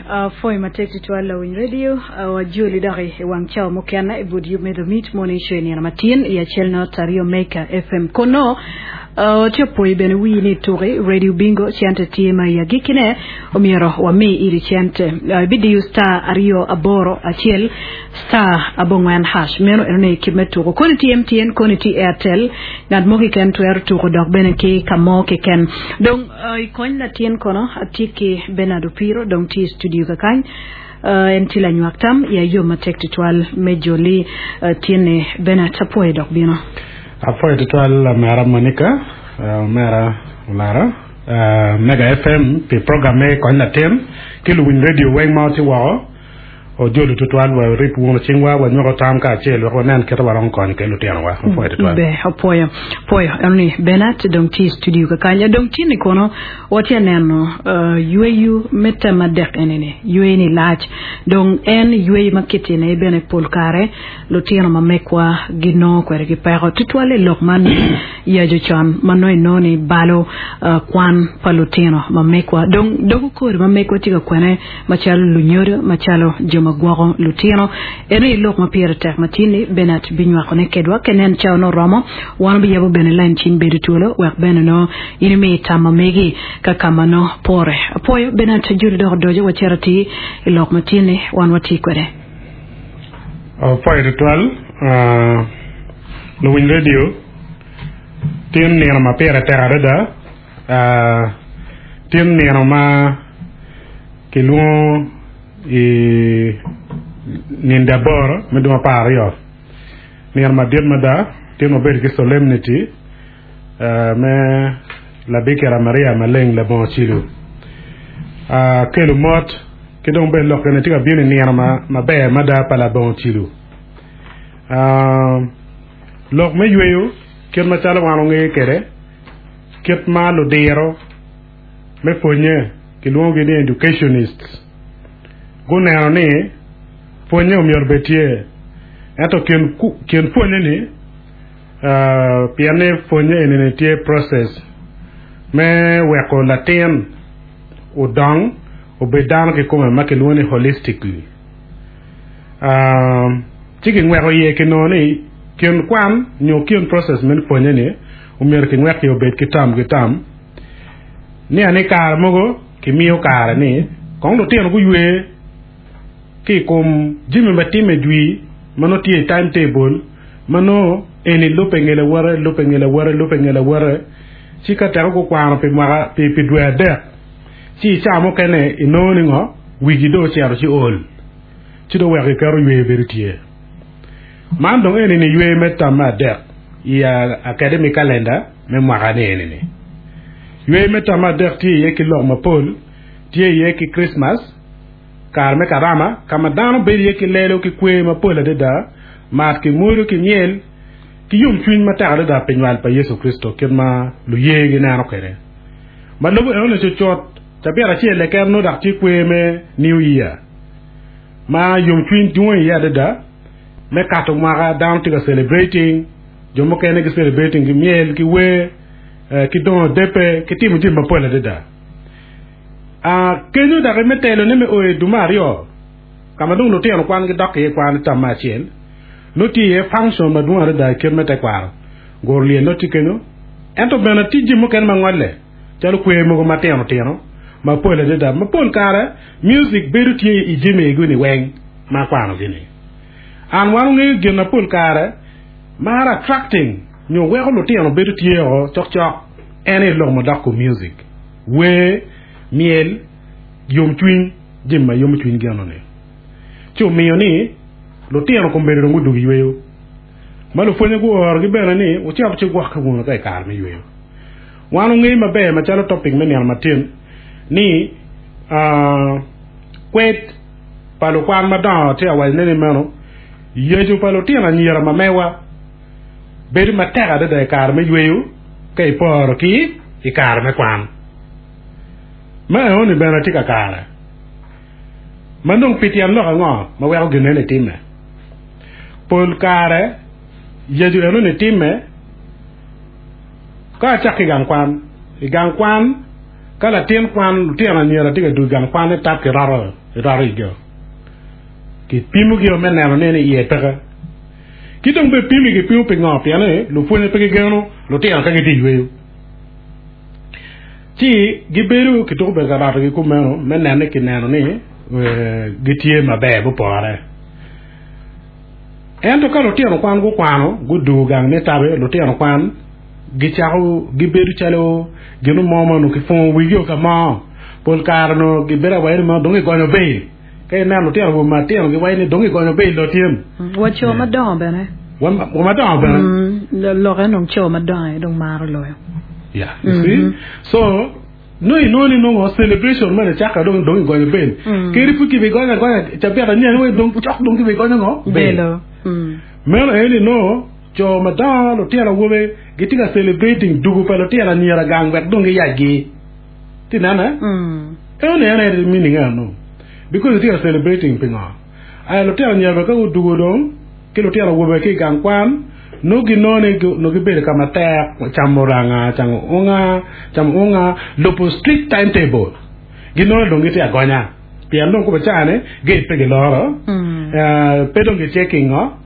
Apwoyo matek tutwal lawiny radio wajoli dok i wang cawa mukene i but yub me The Meat Morning Show i nino matin i acel not aryo Mega FM. Kono tye opoyi bene wii ni tuki radio bingo cente tye ma i agikkine omyero wami iri cente. Ibidiyo star 2 8 1 star abongwen hash meno enoni kit me tuko. Koni tye MTN koni tye Airtel ngat mo keken twero tuko dok bene ki ka mo keken. Dong I kony latin kono atye ki Bernard Opiro dong tye i studio kakany. En tye lanywak tam i ayo matek tutwal me joli tinni. Bernard apwoyo dok bino. Apwoyo tutwal omera Monica, omera Olara, Mega FM pi program me kony latin ki luwiny radio weng ma watye woko. Ojolo tutwal wa orib wunu cingwa wanywako tam kacel wek wanen kite waromo konyo kwede lutinowa. Opwoyo tutwal. Ber, opwoyo. Pwoyo. Eno ni Bernard dong tye i studio kakany. Dong tye ni kono watye neno uh, yweyo me tem adek eni ni yweyo ni lac. Dong en yweyo ma kitine aye bene pol kare lutino ma mekwa ginongo kwede ki peko. Tutwal i lok man yaco con ma nongo inongo ni balo uh, kwan pa lutino ma mekwa. Dong dogo kori ma mekwa tye ka kwene Macalo lunyodo, macalo jo ma gwoko lutino, en aye lok ma pire tek ma tin-ni Bernard binywakone kedwa. Ka inen cawa nongo oromo, wan wabiyabo bene lain cim bedo twolo wek bene nongo in imi tam ma megi ka ka ma nongo pore. Apwoyo Bernard Judi dok odoco wacito atir i lok ma tin-ni wan watye kwede. Apwoyo tutwal luwiny radio tin nino ma pire tek adada tin nino ma Kilwongo i nindi aboro me dwe 12, nino madit mada, tye ma obedo ki solemnity me Labikira Maria Maleng labongo cilo. Kelo mot ki dong bene lok eni tye ka bino i nino maber mada pa labongo cilo. Lok me yweyo kit macalo wan wangeyo kwede kit ma ludiro me pwonye kilwongogi ni educationists guneno ni pwonye omyero obed tye ento kin pwonye ni pien ni pwonye eni ni tye process me weko latin odong obed dano kikome ma kilwongo ni holistically ci kingweko iye kinongo ni kin kwan nyo kin process me pwonye ni omyero kingwek iye obed ki tam ki tam. Nia ni kare mogo kimiyo kare ni kong lutino guywe ki i kom jami ma timme jwi ma nongo tye i timetable ma nongo eni lubbe nge lawote, lubbe nge lawote, lubbe nge lawote ci ka teke gukwano pi mwaka pi dwe adek ci i cawa mukene inongo ni ngo wigi dong ocito ci ol ci dong weko giketo yweyo bedo tye. Man dong eni ni yweyo me tam me adek i academic calendar me mwaka ni eni ni. Yweyo me tam me adek tye iye ki lok mapol, tye iye ki Christmas, kare me karama, ka ma dano bedo iye ki lelo ki kwer mapol adada, mat ki mwodo ki myel, ki yomcwiny matek adada pi nywal pa Yecu Kricito kit ma luye gineno kwede. Ma lubo enoni cucut, cabit acel keken nongo dok tye kwer me New Year. ma yomcwiny dwong iye adada me kato mwaka dano tye ka celebrating jo mukene gi celebrating ki myel ki wer ki dongo depe ki timo jami mapol adada kenyo dok me telo ne me o i duma aryo ka ma dong lutino kwan gidok iye kwan i tam me acel nongo tye iye function madwong adada i kit me tekwaro guro lyel nongo tye kenyo ento bene tye jami mukene ma ngole calo kwer mogo matino tino mapol adada ma pol kare Music bedo tye i jami ego-ni weng ma akwanogi-ni. An wan ongeyo gin ma pol kare maro attracting nyo weko lutino bedo tye o cokcok en aye lok madok kom music, wer, myel, yomcwiny, jami ma yomo cwiny gin-ni. Ci omiyo ni lutino kombeddi dong gudwogo i yweyo ma lupwonye guorogi bene ni wucit wucigwokke wunu ka i kare me yweyo. Wan ongeyo maber macalo topic me nino matin ni kwed pa lukwan madongo tye ka wacone ni meno yeco pa lutino anyira ma mewa bedo matek adada i kare me yweyo ka iporo ki i kare me kwan. Ma enoni bene tye kakare. Ma dong pi tyen lok ango ma weko gin eni timme? Pol kare yeco enoni timme Ka acako i gang kwan, i gang kwan. Ka latin kwan, lutino anyira tye ka dwogo i gang kwan ni tap kiroto, iroto igio. Kipimogi me neno ni iye peke. Ki dong bene pimi gipimo pi ngo? Pien ni lupwonye pe gigeno lutino ka gitye i yweyo. Ci gibedo kituko bedo ka rotogi kumeno me neno ni kineno ni gitye maber gupore. Ento ka lutino kwan gukwano gudugo gang ni tabe, lutino kwan gicako gibedo calo gin mo ma onongo kipungo wigi o ka mo. Pol kare onongo gibedo awaci ni dong gigonyo bail. Ka ineno lutino awobe matino giwaco ni dong gigonyo bail dong tyen. Wa co madongo bene. Wa madongo bene. Lokke dong co madongo aye dong maro loyo. Yeah, you see? So, nongo inongo ni nongo celebration mene cakke dong dong igonyo bail. Kadi pud kibigonyo agonya cabit anyen wai dong cok dong kibigonyo ngo? Bail. Meno aye ni nongo co madongo lutino awobe gitye ka celebrating dugu pa lutino anyira gang wek dong giyacgi. Ti nene? Eno ni en aye meaning eno. Because itye ka celebrating pingo? Aya lutino anyira bene ka gudugo dong ki lutino awobe ki i gang kwan nongo ginongo ni nongo gibedo ka matek camo ranga, camo unga, camo unga, lubo strict timetable. Ginongo ni dong gitye agonya pien dong kome caa ni gate pe giloro, pe dong gitye ki ngo.